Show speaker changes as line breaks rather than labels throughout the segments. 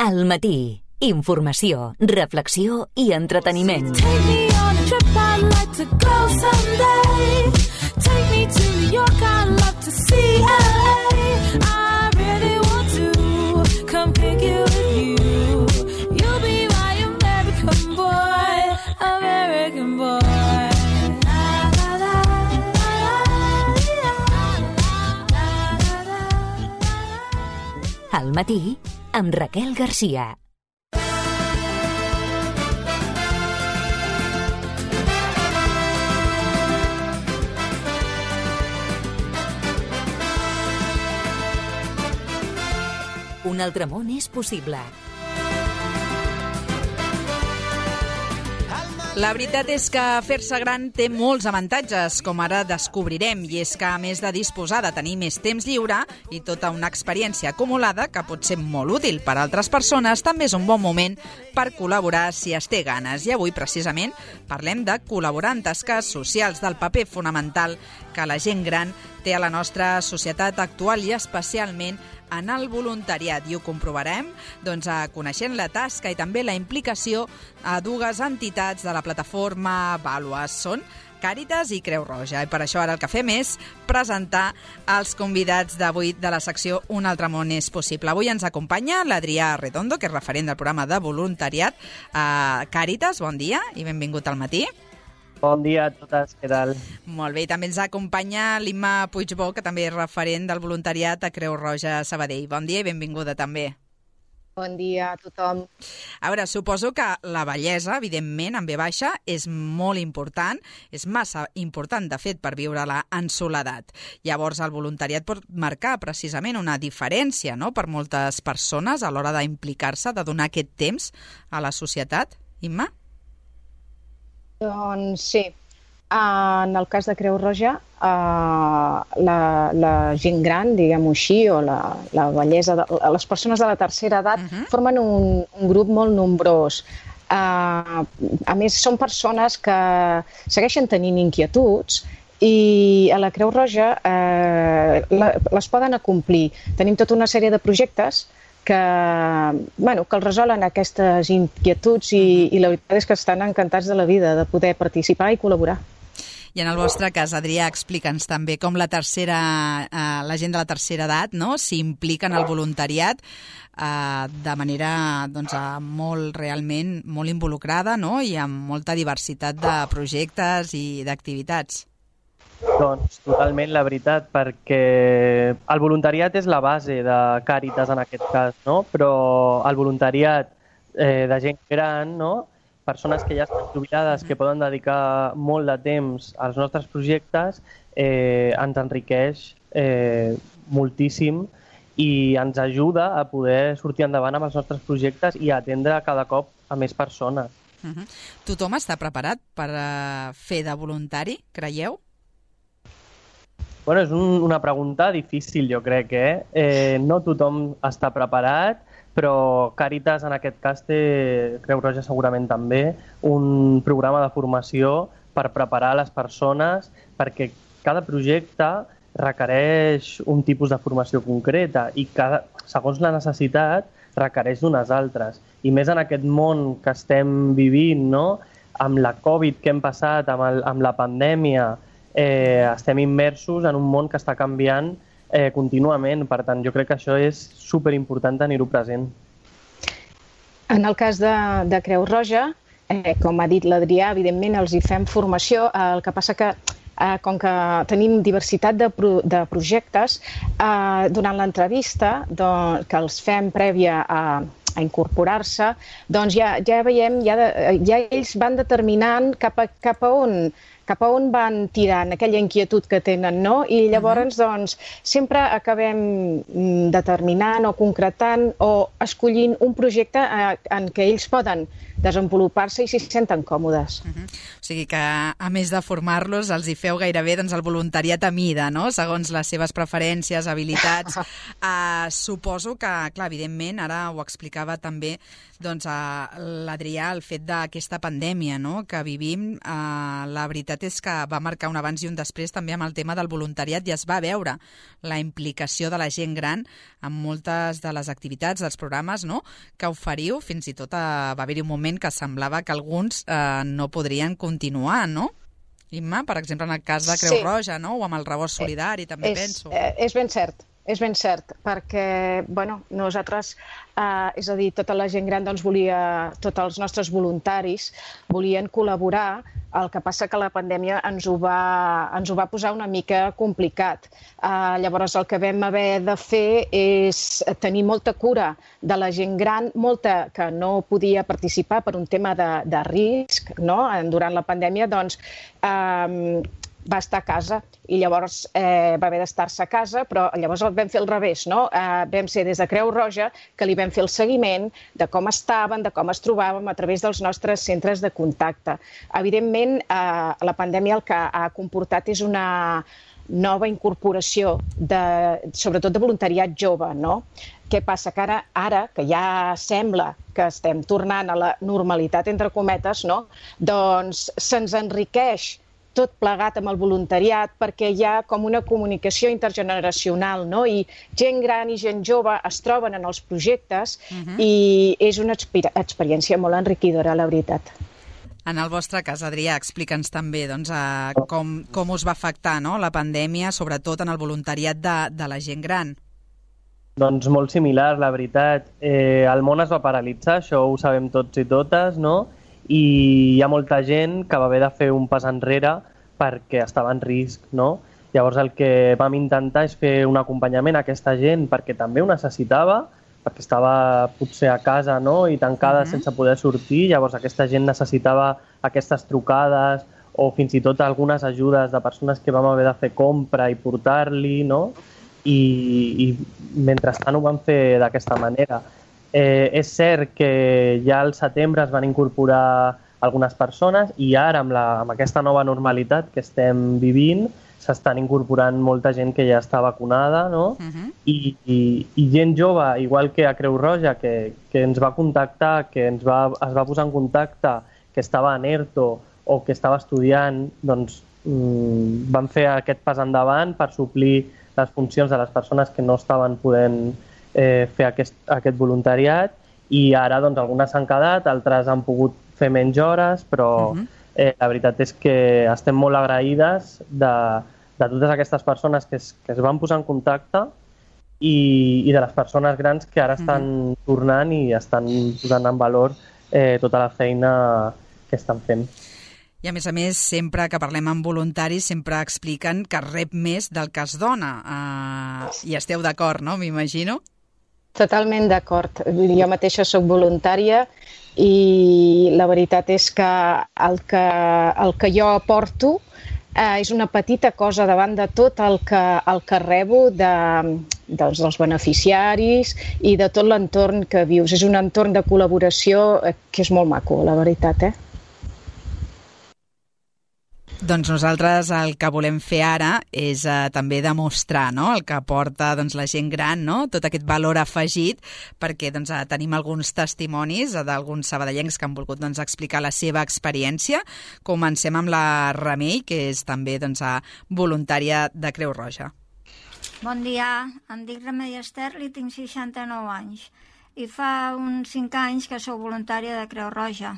Al matí. Informació, reflexió i entreteniment.
Take me on a trip, I'd like to go someday. Take me to New York, I'd love to see LA. I really want to come pick you with you. You'll be my American boy, American boy.
Al matí, amb Raquel Garcia. Un altre món és possible.
La veritat és que fer-se gran té molts avantatges, com ara descobrirem, i és que a més de disposar de tenir més temps lliure i tota una experiència acumulada que pot ser molt útil per a altres persones, també és un bon moment per col·laborar si es té ganes. I avui, precisament, parlem de col·laborar en tasques socials, del paper fonamental que la gent gran té a la nostra societat actual i especialment en el voluntariat, i ho comprovarem coneixent la tasca i també la implicació a dues entitats de la plataforma Vàlues. Són Càritas i Creu Roja, i per això ara el que fem és presentar els convidats d'avui de la secció Un altre món és possible. Avui ens acompanya l'Adrià Redondo, que és referent del programa de voluntariat a Càritas. Bon dia i benvingut al matí.
Bon dia a totes, què tal?
Molt bé, i també ens acompanya l'Imma Puigbó, que també és referent del voluntariat a Creu Roja Sabadell. Bon dia i benvinguda també.
Bon dia a tothom.
A veure, suposo que la bellesa, evidentment, en ve baixa, és molt important, és massa important, de fet, per viure-la en soledat. Llavors, el voluntariat pot marcar precisament una diferència, no?, per moltes persones a l'hora d'implicar-se, de donar aquest temps a la societat. Imma?
Doncs sí, en el cas de Creu Roja, la gent gran, diguem-ho així, o la bellesa, les persones de la tercera edat formen un grup molt nombrós. A més, són persones que segueixen tenint inquietuds i a la Creu Roja les poden acomplir. Tenim tota una sèrie de projectes que els resolen aquestes inquietuds i la veritat és que estan encantats de la vida de poder participar i col·laborar.
I en el vostre cas, Adrià, explica'ns també com la gent de la tercera edat, no?, s'implica en el voluntariat de manera realment molt involucrada, no?, i amb molta diversitat de projectes i d'activitats.
Doncs totalment la veritat, perquè el voluntariat és la base de Càritas en aquest cas, no? Però el voluntariat de gent gran, no?, persones que ja estan jubilades, que poden dedicar molt de temps als nostres projectes, ens enriqueix moltíssim i ens ajuda a poder sortir endavant amb els nostres projectes i a atendre cada cop a més persones.
Tothom està preparat per fer de voluntari, creieu?
Bueno, és una pregunta difícil, jo crec, no tothom està preparat, però Càritas en aquest cas té, Creu Roja segurament també, un programa de formació per preparar les persones, perquè cada projecte requereix un tipus de formació concreta i segons la necessitat requereix d'unes altres. I més en aquest món que estem vivint, no?, amb la Covid que hem passat, amb la pandèmia, estem immersos en un món que està canviant contínuament. Per tant, jo crec que això és superimportant tenir-ho present.
En el cas de Creu Roja, com ha dit l'Adrià, evidentment els hi fem formació. El que passa que, com que tenim diversitat de projectes, durant l'entrevista que els fem prèvia a incorporar-se, doncs ja veiem, ja ells van determinant cap a on van tirant aquella inquietud que tenen, no? I llavors, doncs, sempre acabem determinant o concretant o escollint un projecte en què ells poden desenvolupar-se i s'hi senten còmodes.
O sigui que, a més de formar-los, els hi feu gairebé el voluntariat a mida, no?, segons les seves preferències, habilitats. Suposo que, clar, evidentment, ara ho explicava també l'Adrià, el fet d'aquesta pandèmia, no?, que vivim, la veritat veritat és que va marcar un abans i un després també amb el tema del voluntariat i es va veure la implicació de la gent gran en moltes de les activitats, dels programes, no?, que oferiu. Fins i tot va haver-hi un moment que semblava que alguns no podrien continuar, no? Imma, per exemple, en el cas de Creu Roja, no?, o amb el Rebost Solidari, també penso.
És ben cert, perquè, bueno, nosaltres, és a dir, tota la gent gran doncs tots els nostres voluntaris volien col·laborar, el que passa que la pandèmia ens ho va posar una mica complicat. Llavors el que vam haver de fer és tenir molta cura de la gent gran, molta que no podia participar per un tema de risc, no?, durant la pandèmia, doncs va estar a casa i llavors va haver d'estar-se a casa, però llavors el vam fer al revés, no? Vam ser des de Creu Roja que li vam fer el seguiment de com estaven, de com es trobaven a través dels nostres centres de contacte. Evidentment, la pandèmia el que ha comportat és una nova incorporació, sobretot de voluntariat jove, no? Què passa? Que ara, que ja sembla que estem tornant a la normalitat, entre cometes, no?, doncs se'ns enriqueix tot plegat amb el voluntariat perquè hi ha com una comunicació intergeneracional, no? I gent gran i gent jove es troben en els projectes i és una experiència molt enriquidora, la veritat.
En el vostre cas, Adrià, explica'ns també com us va afectar, no?, la pandèmia, sobretot en el voluntariat de la gent gran.
Doncs molt similar, la veritat. El món es va paralitzar, això ho sabem tots i totes, no?, i hi ha molta gent que va haver de fer un pas enrere perquè estava en risc, no? Llavors el que vam intentar és fer un acompanyament a aquesta gent perquè també ho necessitava, perquè estava potser a casa, no?, i tancada sense poder sortir. Llavors aquesta gent necessitava aquestes trucades o fins i tot algunes ajudes de persones que vam haver de fer compra i portar-li, no? I mentrestant ho vam fer d'aquesta manera. És cert que ja al setembre es van incorporar algunes persones i ara amb aquesta nova normalitat que estem vivint s'estan incorporant molta gent que ja està vacunada, no? I gent jove, igual que a Creu Roja, que ens va contactar, que es va posar en contacte, que estava en ERTO o que estava estudiant, doncs van fer aquest pas endavant per suplir les funcions de les persones que no estaven podent fer aquest voluntariat i ara doncs algunes s'han quedat, altres han pogut fer menys hores, però la veritat és que estem molt agraïdes de totes aquestes persones que es van posar en contacte i de les persones grans que ara estan tornant i estan posant en valor tota la feina que estan fent.
I a més, sempre que parlem amb voluntaris, sempre expliquen que rep més del que es dona. I esteu d'acord, no?, m'imagino?
Totalment d'acord. Jo mateixa soc voluntària i la veritat és que el que jo aporto és una petita cosa davant de tot el que rebo dels beneficiaris i de tot l'entorn que vius. És un entorn de col·laboració que és molt maco, la veritat,
Doncs nosaltres el que volem fer ara és també demostrar, no?, el que aporta la gent gran, no?, tot aquest valor afegit, perquè tenim alguns testimonis d'alguns sabadellencs que han volgut explicar la seva experiència. Comencem amb la Remei, que és també voluntària de Creu Roja.
Bon dia, em dic Remei Esterli, tinc 69 anys i fa uns 5 anys que sóc voluntària de Creu Roja.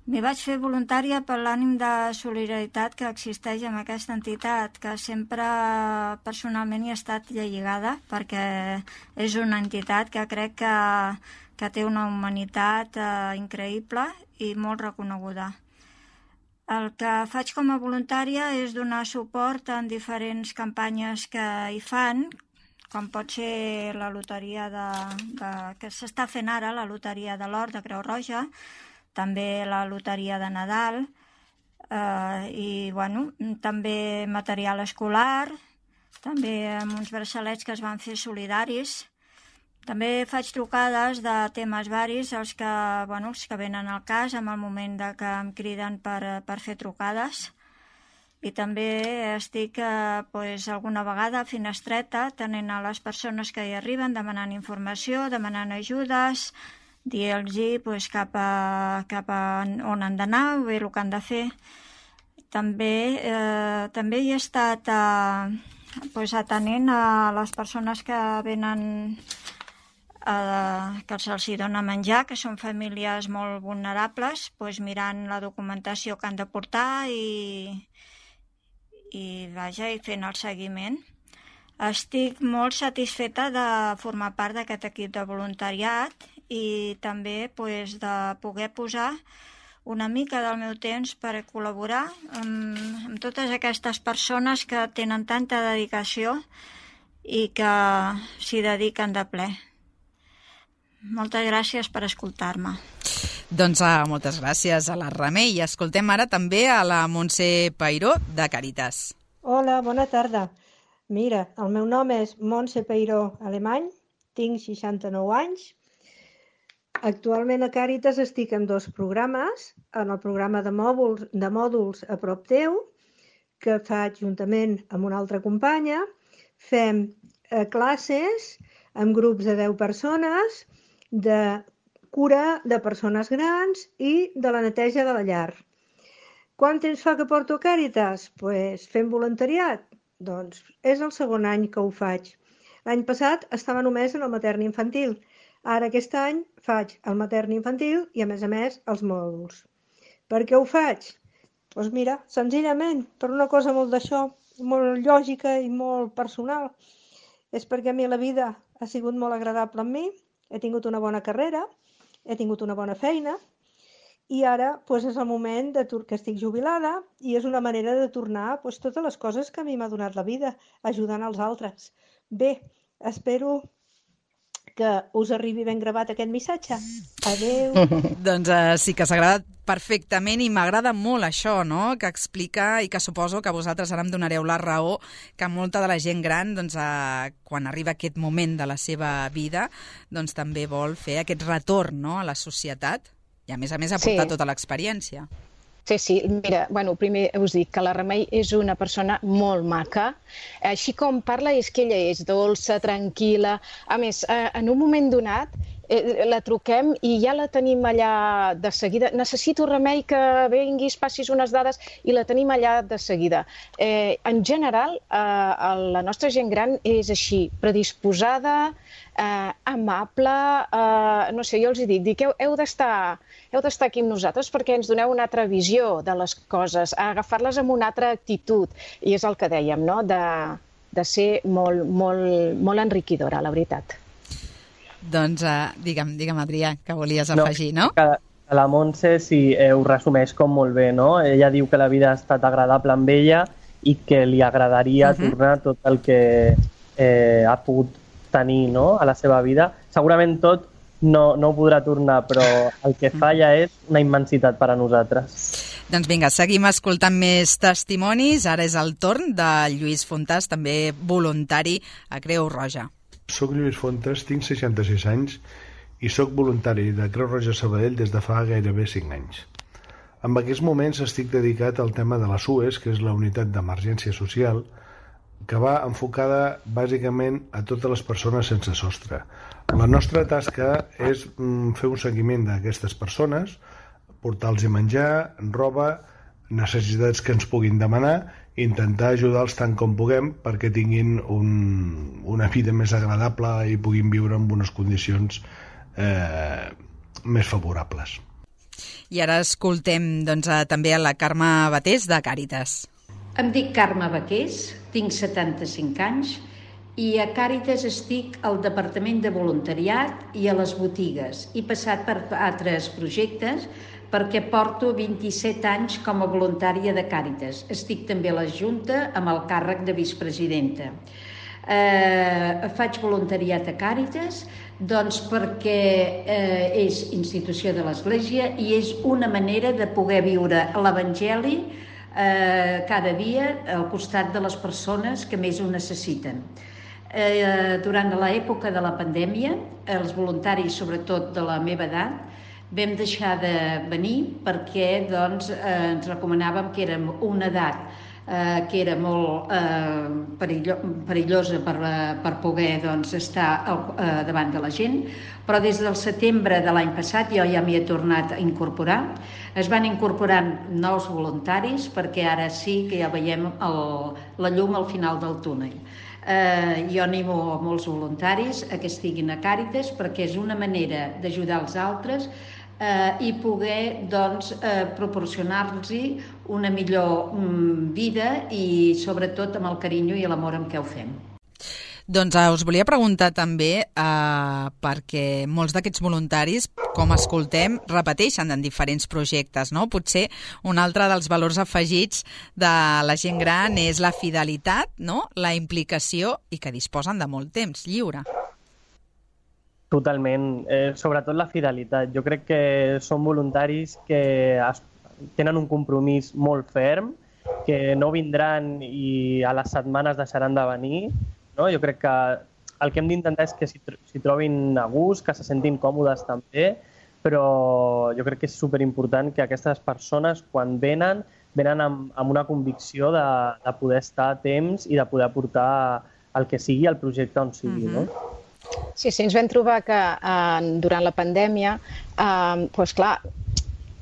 M'hi vaig fer voluntària per l'ànim de solidaritat que existeix en aquesta entitat, que sempre personalment hi he estat lligada, perquè és una entitat que crec que té una humanitat increïble i molt reconeguda. El que faig com a voluntària és donar suport en diferents campanyes que hi fan, com pot ser la loteria que s'està fent ara, la loteria de l'Or de Creu Roja, també la loteria de Nadal i també material escolar, també amb uns braçalets que es van fer solidaris. També faig trucades de temes varis, els que venen al cas en el moment que em criden per fer trucades. I també estic alguna vegada a finestreta atenent a les persones que hi arriben, demanant informació, demanant ajudes, dir-los cap a on han d'anar o bé el que han de fer. També hi he estat atenent a les persones que venen, que se'ls dona menjar, que són famílies molt vulnerables, mirant la documentació que han de portar i fent el seguiment. Estic molt satisfeta de formar part d'aquest equip de voluntariat i també de poder posar una mica del meu temps per col·laborar amb totes aquestes persones que tenen tanta dedicació i que s'hi dediquen de ple. Moltes gràcies per escoltar-me.
Doncs moltes gràcies a la Remei. I escoltem ara també a la Montse Peiró, de Càritas.
Hola, bona tarda. Mira, el meu nom és Montse Peiró Alemany, tinc 69 anys. Actualment a Càritas estic en 2 programes, en el programa de mòduls a prop teu, que faig juntament amb una altra companya. Fem classes amb grups de 10 persones, de cura de persones grans i de la neteja de la llar. Quant temps fa que porto a Càritas? Doncs fent voluntariat. Doncs és el 2è any que ho faig. L'any passat estava només en el matern-infantil. Ara aquest any faig el matern-infantil i a més els mòduls. Per què ho faig? Doncs mira, senzillament, per una cosa molt lògica i molt personal. És perquè a mi la vida ha sigut molt agradable amb mi, he tingut una bona carrera, he tingut una bona feina i ara és el moment que estic jubilada i és una manera de tornar totes les coses que a mi m'ha donat la vida, ajudant els altres. Bé, espero que us arribi ben gravat aquest missatge. Adéu.
Doncs sí que s'ha agradat perfectament i m'agrada molt això, no?, que explica i que suposo que vosaltres ara em donareu la raó que molta de la gent gran, quan arriba aquest moment de la seva vida, doncs també vol fer aquest retorn, no?, a la societat i a més aportar tota l'experiència.
Sí, mira, primer us dic que la Remei és una persona molt maca. Així com parla és que ella és dolça, tranquil·la. A més, en un moment donat la truquem i ja la tenim allà de seguida. Necessito, Remei, que vinguis, passis unes dades i la tenim allà de seguida. En general, la nostra gent gran és així, predisposada, amable, no sé, jo els dic, heu d'estar aquí amb nosaltres perquè ens doneu una altra visió de les coses, agafar-les amb una altra actitud, i és el que dèiem, no?, de ser molt enriquidora, la veritat.
Doncs digue'm, Adrià, que volies afegir, no?
La Montse ho resumeix com molt bé, no? Ella diu que la vida ha estat agradable amb ella i que li agradaria tornar tot el que ha pogut tenir, no?, a la seva vida. Segurament tot no ho podrà tornar, però el que fa ja és una immensitat per a nosaltres.
Doncs vinga, seguim escoltant més testimonis. Ara és el torn de Lluís Fontàs, també voluntari a Creu Roja.
Soc Lluís Fontàs, tinc 66 anys i soc voluntari de Creu Roja Sabadell des de fa gairebé 5 anys. En aquests moments estic dedicat al tema de la SUES, que és la unitat d'emergència social, que va enfocada bàsicament a totes les persones sense sostre. La nostra tasca és fer un seguiment d'aquestes persones, portar-los menjar, roba, necessitats que ens puguin demanar, i intentar ajudar-los tant com puguem perquè tinguin una vida més agradable i puguin viure en unes condicions més favorables.
I ara escoltem també a la Carme Batés, de Càritas.
Em dic Carme Baqués, tinc 75 anys i a Càritas estic al Departament de Voluntariat i a les botigues. He passat per altres projectes perquè porto 27 anys com a voluntària de Càritas. Estic també a la Junta amb el càrrec de vicepresidenta. Faig voluntariat a Càritas perquè és institució de l'Església i és una manera de poder viure l'Evangeli cada dia al costat de les persones que més ho necessiten. Durant l'època de la pandèmia, els voluntaris, sobretot de la meva edat, vam deixar de venir perquè ens recomanàvem que érem una edat que era molt perillosa per poder estar davant de la gent, però des del setembre de l'any passat jo ja m'hi he tornat a incorporar. Es van incorporant nous voluntaris perquè ara sí que ja veiem la llum al final del túnel. Jo animo molts voluntaris a que estiguin a Càritas perquè és una manera d'ajudar els altres i poder proporcionar-los una millor vida i sobretot amb el carinyo i l'amor amb què ho fem.
Doncs us volia preguntar també perquè molts d'aquests voluntaris, com escoltem, repeteixen en diferents projectes, no? Potser un altre dels valors afegits de la gent gran és la fidelitat, no? La implicació i que disposen de molt temps lliure.
Totalment, sobretot la fidelitat. Jo crec que són voluntaris que tenen un compromís molt ferm, que no vindran i a les setmanes deixaran de venir. No? Jo crec que el que hem d'intentar és que s'hi trobin a gust, que se sentin còmodes també, però jo crec que és superimportant que aquestes persones, quan venen amb una convicció de poder estar a temps i de poder aportar el que sigui al projecte on sigui. No?
Sí, ens vam trobar que durant la pandèmia, doncs clar,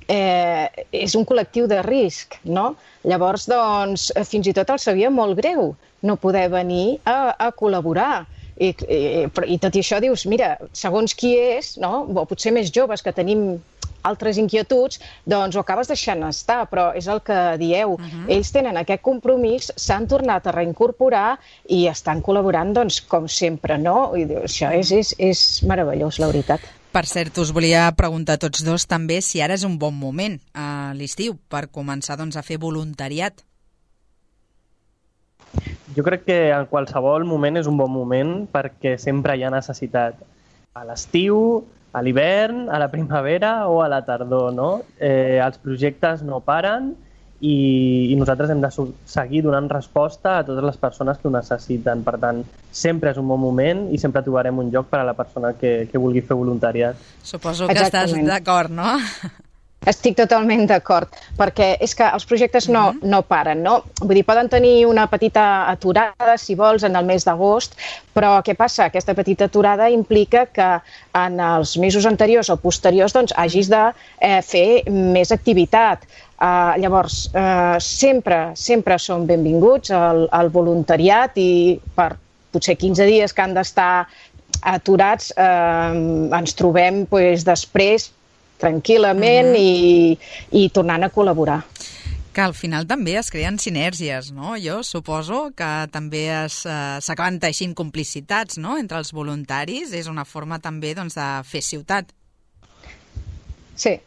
és un col·lectiu de risc, no? Llavors, doncs, fins i tot els sabia molt greu no poder venir a col·laborar. I tot i això dius, mira, segons qui és, no? O potser més joves que tenim altres inquietuds, doncs ho acabes deixant estar, però és el que dieu. Ells tenen aquest compromís, s'han tornat a reincorporar i estan col·laborant, doncs, com sempre, no? I això és meravellós, la veritat.
Per cert, us volia preguntar a tots dos també si ara és un bon moment a l'estiu per començar a fer voluntariat.
Jo crec que en qualsevol moment és un bon moment perquè sempre hi ha necessitat. A l'estiu, a l'hivern, a la primavera o a la tardor, no? Els projectes no paren i nosaltres hem de seguir donant resposta a totes les persones que ho necessiten. Per tant, sempre és un bon moment i sempre trobarem un lloc per a la persona que vulgui fer voluntariat.
Suposo que estàs d'acord, no?
Estic totalment d'acord, perquè és que els projectes no paren, no? Vull dir, poden tenir una petita aturada, si vols, en el mes d'agost, però què passa? Aquesta petita aturada implica que en els mesos anteriors o posteriors doncs, hagis de fer més activitat. Llavors, sempre són benvinguts al voluntariat i per potser 15 dies que han d'estar aturats ens trobem després tranquil·lament i tornant a col·laborar.
Que al final també es creen sinergies, no? Jo suposo que també s'acaben teixint complicitats, no? Entre els voluntaris. És una forma també de fer ciutat.
Sí.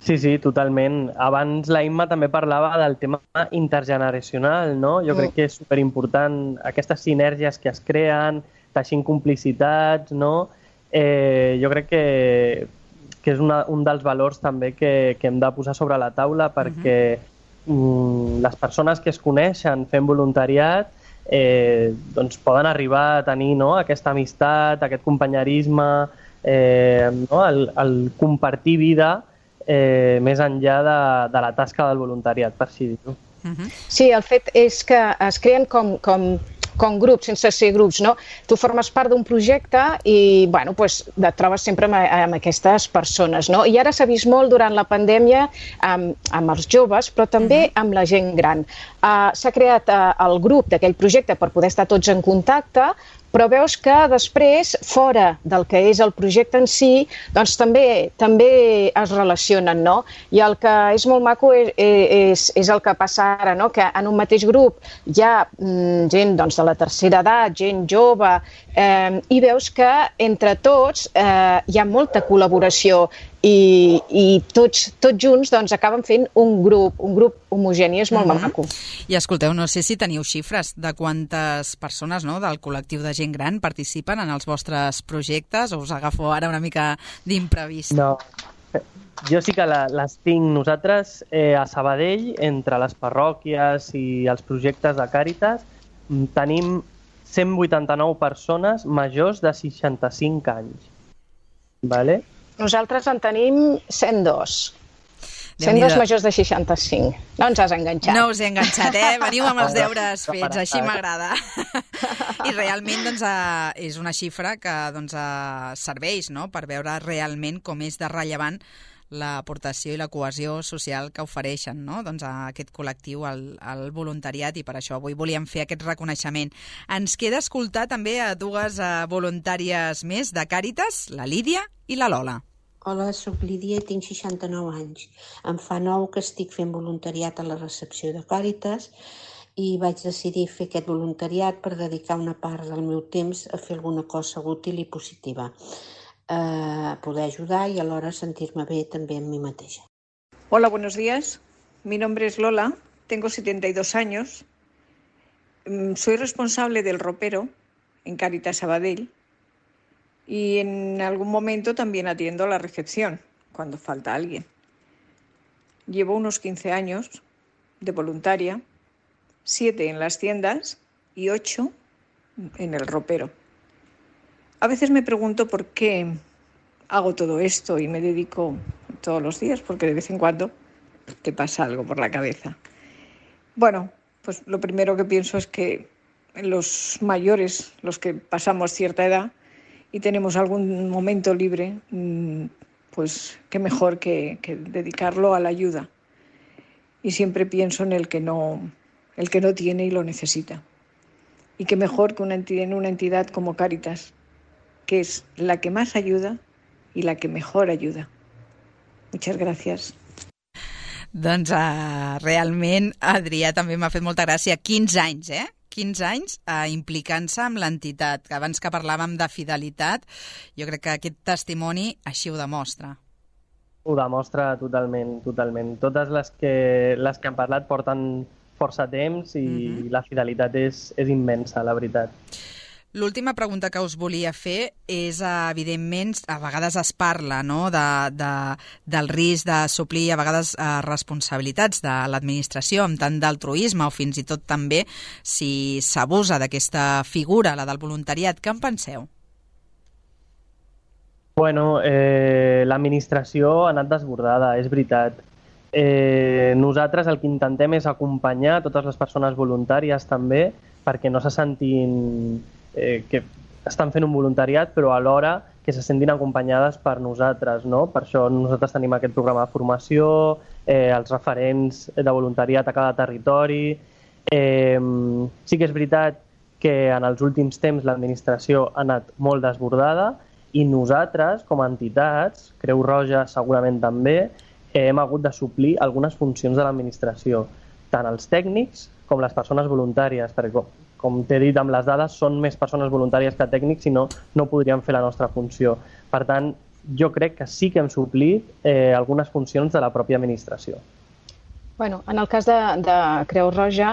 Sí, totalment. Abans la Imma també parlava del tema intergeneracional, no? Jo crec que és superimportant aquestes sinergies que es creen, teixint complicitats, no? Jo crec que és un dels valors també que hem de posar sobre la taula perquè les persones que es coneixen fent voluntariat doncs poden arribar a tenir aquesta amistat, aquest companyerisme, el compartir vida més enllà de la tasca del voluntariat, per així dir-ho.
Sí, el fet és que es creen com grups, sense ser grups, no? Tu formes part d'un projecte i, bueno, et trobes sempre amb aquestes persones, no? I ara s'ha vist molt durant la pandèmia amb els joves, però també amb la gent gran. S'ha creat el grup d'aquell projecte per poder estar tots en contacte, però veus que després, fora del que és el projecte en si, doncs també es relacionen, no? I el que és molt maco és el que passa ara, no? Que en un mateix grup hi ha gent de la tercera edat, gent jove, i veus que entre tots hi ha molta col·laboració i tots junts acaben fent un grup homogeni, és molt maco.
I escolteu, no sé si teniu xifres de quantes persones del col·lectiu de gent gran participen en els vostres projectes o us agafo ara una mica d'imprevist?
No, jo sí que les tinc. Nosaltres a Sabadell, entre les parròquies i els projectes de Càritas, tenim 189 persones majors de 65 anys. Vale?
Nosaltres en tenim 102. Sent dos majors de 65. No ens has enganxat.
No us he enganxat, Veniu amb els deures fets, així m'agrada. I realment és una xifra que serveix per veure realment com és de rellevant l'aportació i la cohesió social que ofereixen a aquest col·lectiu, al voluntariat, i per això avui volíem fer aquest reconeixement. Ens queda escoltar també a dues voluntàries més de Càritas, la Lídia i la Lola.
Hola, soc Lídia i tinc 69 anys. Em fa 9 que estic fent voluntariat a la recepció de Càritas i vaig decidir fer aquest voluntariat per dedicar una part del meu temps a fer alguna cosa útil i positiva. Poder ayudar y a la hora sentirme bien también mi mateixa.
Hola, buenos días. Mi nombre es Lola, tengo 72 años. Soy responsable del ropero en Càritas Sabadell y en algún momento también atiendo la recepción cuando falta alguien. Llevo unos 15 años de voluntaria, 7 en las tiendas y 8 en el ropero. A veces me pregunto por qué hago todo esto y me dedico todos los días, porque de vez en cuando te pasa algo por la cabeza. Bueno, pues lo primero que pienso es que los mayores, los que pasamos cierta edad y tenemos algún momento libre, pues qué mejor que dedicarlo a la ayuda. Y siempre pienso en el que no tiene y lo necesita. Y qué mejor que una entidad como Càritas, que es la que más ayuda y la que mejor ayuda. Muchas gracias.
Doncs realment, Adrià, també m'ha fet molta gràcia. 15 anys, 15 anys implicant-se amb l'entitat. Abans que parlàvem de fidelitat, jo crec que aquest testimoni així ho demostra.
Ho demostra totalment. Totes les que han parlat porten força temps i la fidelitat és immensa, la veritat.
L'última pregunta que us volia fer és, evidentment, a vegades es parla del risc de suplir a vegades responsabilitats de l'administració amb tant d'altruisme o fins i tot també si s'abusa d'aquesta figura, la del voluntariat. Què en penseu?
Bueno, l'administració ha anat desbordada, és veritat. Nosaltres el que intentem és acompanyar totes les persones voluntàries també perquè no se sentin que estan fent un voluntariat, però alhora que se sentin acompanyades per nosaltres, no? Per això nosaltres tenim aquest programa de formació, els referents de voluntariat a cada territori. Sí que és veritat que en els últims temps l'administració ha anat molt desbordada i nosaltres, com a entitats, Creu Roja segurament també, hem hagut de suplir algunes funcions de l'administració, tant els tècnics com les persones voluntàries, perquè com t'he dit, amb les dades són més persones voluntàries que tècnics, si no, no podríem fer la nostra funció. Per tant, jo crec que sí que hem suplit algunes funcions de la pròpia administració.
Bueno, en el cas de Creu Roja,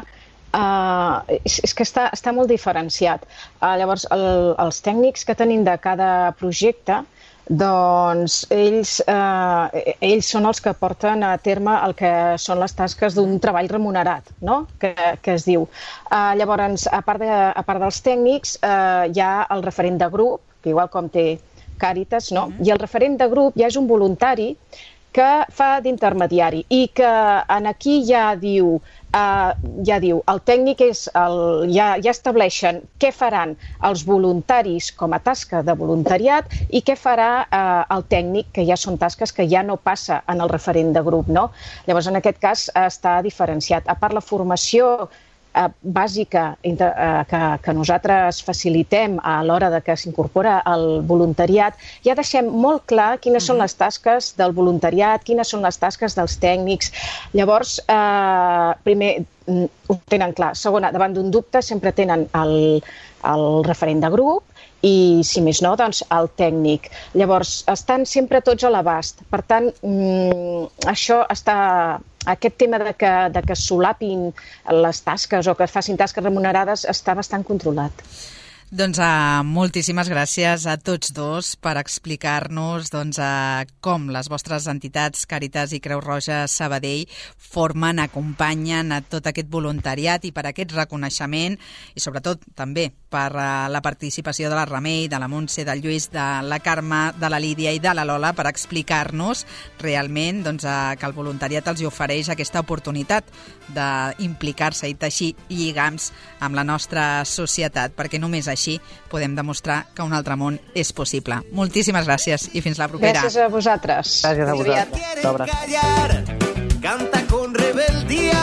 és que està molt diferenciat. Llavors, els tècnics que tenim de cada projecte, doncs ells són els que porten a terme el que són les tasques d'un treball remunerat, no? Que es diu. Llavors, a part dels tècnics, hi ha el referent de grup, que igual com té Càritas, no? I el referent de grup ja és un voluntari que fa d'intermediari i que aquí ja diu el tècnic ja estableixen què faran els voluntaris com a tasca de voluntariat i què farà el tècnic, que ja són tasques que ja no passa en el referent de grup, no? Llavors, en aquest cas, està diferenciat. A part, la formació bàsica que nosaltres facilitem a l'hora de que s'incorpora el voluntariat, ja deixem molt clar quines són les tasques del voluntariat, quines són les tasques dels tècnics. Llavors, primer, ho tenen clar. Segona, davant d'un dubte sempre tenen el referent de grup i, si més no, doncs el tècnic. Llavors, estan sempre tots a l'abast. Per tant, aquest tema de que solapin les tasques o que es facin tasques remunerades està bastant controlat.
Doncs moltíssimes gràcies a tots dos per explicar-nos com les vostres entitats Càritas i Creu Roja Sabadell formen, acompanyen a tot aquest voluntariat i per aquest reconeixement i sobretot també per la participació de la Remei, de la Montse, del Lluís, de la Carme, de la Lídia i de la Lola per explicar-nos realment que el voluntariat els ofereix aquesta oportunitat d'implicar-se i teixir lligams amb la nostra societat, perquè només així podem demostrar que un altre món és possible. Moltíssimes gràcies i fins la propera.
Gràcies a vosaltres.
Gràcies a vosaltres.
Canta con rebeldía,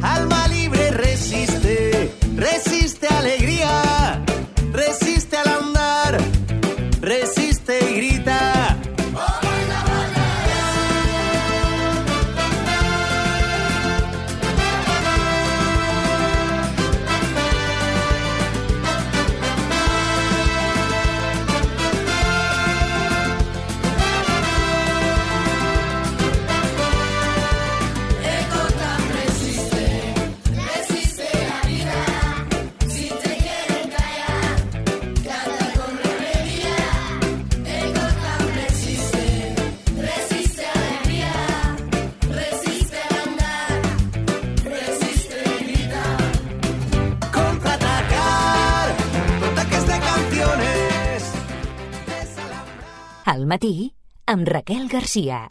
alma libre resiste, resiste alegría, resiste al andar, resiste y grita.
Al matí, amb Raquel Garcia.